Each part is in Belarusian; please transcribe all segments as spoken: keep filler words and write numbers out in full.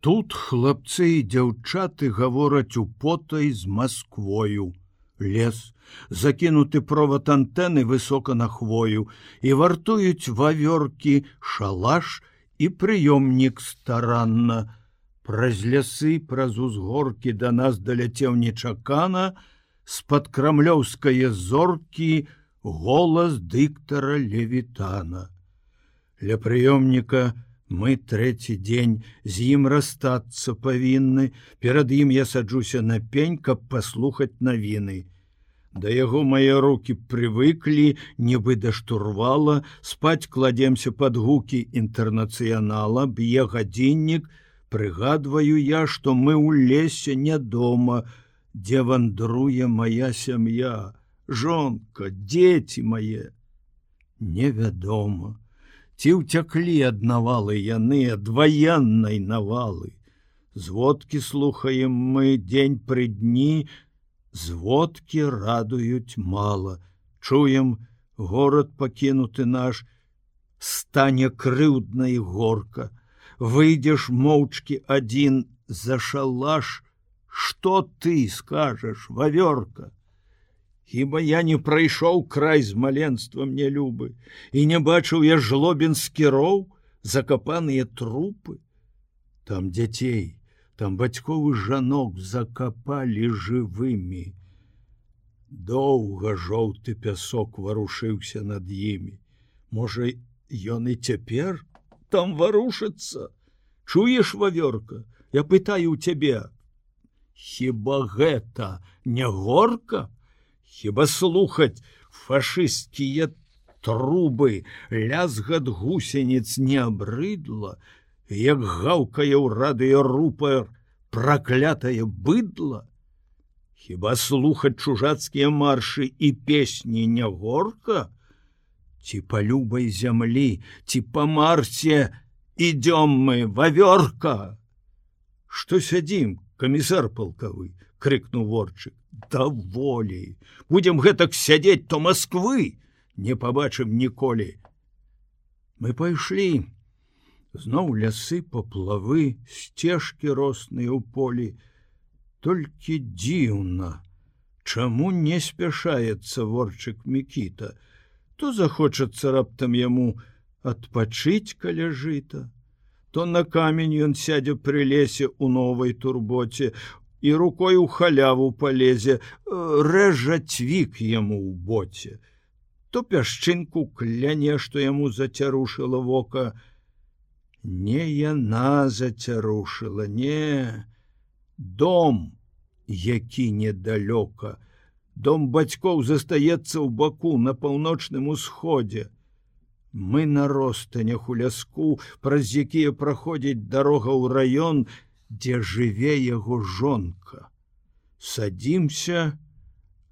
Тут хлапцы і дзяўчаты гавораць употай з Масквою. Лес, закінуты провод антэны высока на хвою, і вартуюць вавёркі, шалаш і прыёмнік старанна. Праз лясы, праз узгоркі да нас даляцеў нечакана, з-пад крамлёўскае зоркі голас дыктара Левітана. Ля прыёмніка мы трэці дзень з ім расстацца павінны, перад ім я саджуся на пень, каб паслухаць навіны. Да яго мае рукі прывыклі, нібы да штурвала, спаць кладземся пад гукі інтэрнацыянала, б'е гадзіннік, прыгадваю я, што мы ў лесе не дома, дзе вандруе мая сям'я, жонка, дзеці мае. Невядома. Ці ўцяклі ад навалы яны, ад ваеннай навалы. Зводкі слухаем мы дзень пры дні, зводкі радуюць мала. Чуем, горад пакінуты наш, стане крыўдна і горка. Выйдзеш моўчкі адзін за шалаш, што ты скажаш, вавёрка? Хіба я не прайшоў край з маленствам нелюбы, і не бачыў я жлобінскі роў, закапаныя трупы? Там дзяцей, там бацьковы жанок закапалі жывымі. Доўга жоўты пясок варушыўся над імі. Можа, ён і цяпер там варушыцца? Чуеш, вавёрка? Я пытаю ў цябе. Хіба гэта не горка? Хіба слухаць фашысцкія трубы, лязгат гусеніц не абрыдла, як гаўкае ў радыёрупор праклятае быдла? Хіба слухаць чужацкія маршы і песні не горка? Ці па любай зямлі, ці па Марсе ідём мы, вавёрка? Што сядзім, камісар палкавы? — крыкнуў ворчык. Даволі. Будзем гэтак сядзець, то Масквы не пабачым ніколі. Мы пайшлі. Зноў лясы, паплавы, сцежкі росныя ў полі. Толькі дзіўна, чаму не спяшаецца ворчык Мікіта? То захочацца раптам яму адпачыць каля жыта, то на камень ён сядзе пры лесе ў новай турботе, і рукой у халяву палезе, рэжа цвік яму ў боце, то пясчынку кляне, што яму зацярушыла вока. Не яна зацярушыла, не, дом, які недалёка. Дом бацькоў застаецца ў баку на паўночным усходзе. Мы на ростанях у ляску, праз якія праходзіць дарога ў раён, дзе жыве яго жонка. Садзімся,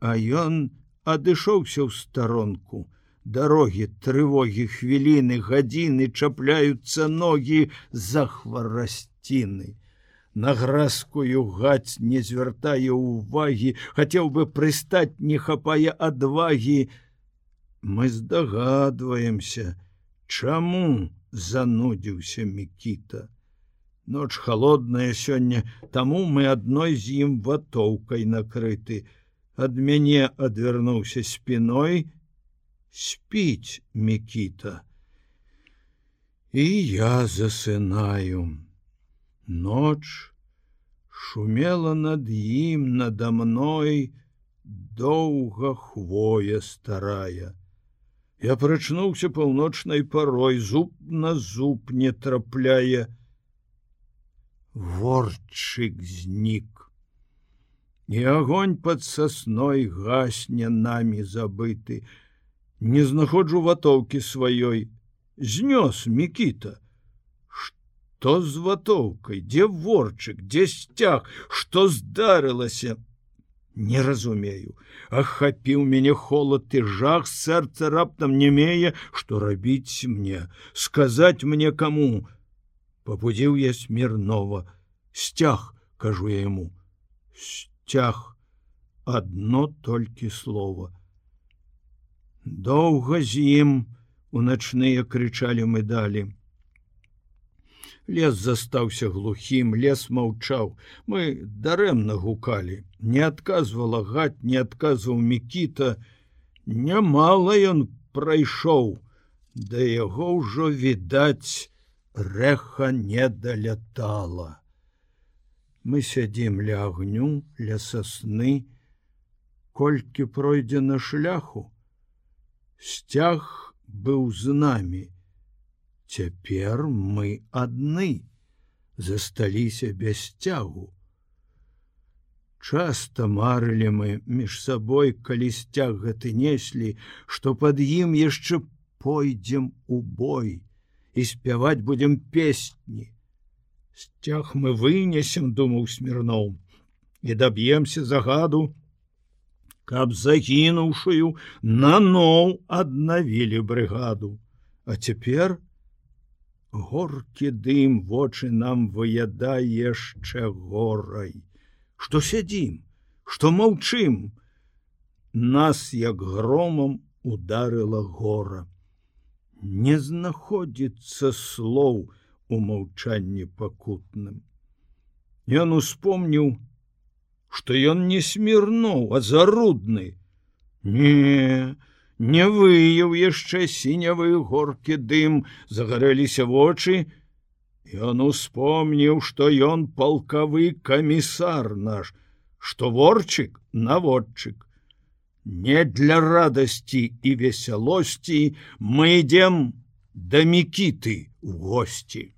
а ён адышоўся ў старонку. Дарогі, трывогі, хвіліны, гадзіны, чапляюцца ногі за хварасціны. На гразкую гаць не звяртае ўвагі, хацеў бы прыстаць, не хапае адвагі. Мы здагадваемся, чаму занудзіўся Мікіта. Ноч холодная сёння, таму мы адной з ім ватоўкай накрыты. Ад мяне адвярнуўся спіной, спіць Мікіта. І я засынаю. Ноч шумела над ім, надо мной, доўга хвоя старая. Я прачнуўся паўночнай парой, зуб на зуб не трапляе. Ворчык знік. І агонь пад сасной гасне намі забыты. Не знаходжу ватоўкі сваёй. Знёс Мікіта. Што з ватоўкай? Дзе ворчык? Дзе сцяг? Што здарылася? Не разумею. Ахапіў мяне холад і жах, сэрца раптам немее, што рабіць мне, сказаць мне каму. Пабудзіў я Смірнова. Сцяг, кажу я яму. Сцяг. Адно толькі слова. Доўга з ім у начныя крычалі мы далі. Лес застаўся глухім, лес маўчаў. Мы дарэмна гукалі. Не адказвала Гать, не адказваў Мікіта. Нямала ён прайшоў. Да яго ўжо, відаць, рэха не далятала. Мы сядзім ля агню, ля сасны. Колькі пройдзена шляху, сцяг быў з намі. Цяпер мы адны, засталіся без сцягу. Часта марылі мы між сабой, калі сцяг гэты неслі, што пад ім яшчэ пойдзем у бой і спяваць будзем песні. Сцяг мы вынесем, думаў Смірноў, і даб'емся загаду, каб загінуўшую наноў аднавілі брыгаду. А цяпер горкі дым вочы нам выядае яшчэ горай. Што сядзім, што маўчым? Нас, як громам, ударыла гора. Не знаходзіцца слоў у маўчанні пакутным. Ён успомніў, што ён не Смірноў, а Зарудны. Не, не выяў яшчэ сінявы горкі дым, загарэліся вочы. Ён успомніў, што ён палкавы камісар наш, што ворчык наводчык. Не для радасці і весялосці мы ідзем да Мікіты ў госці.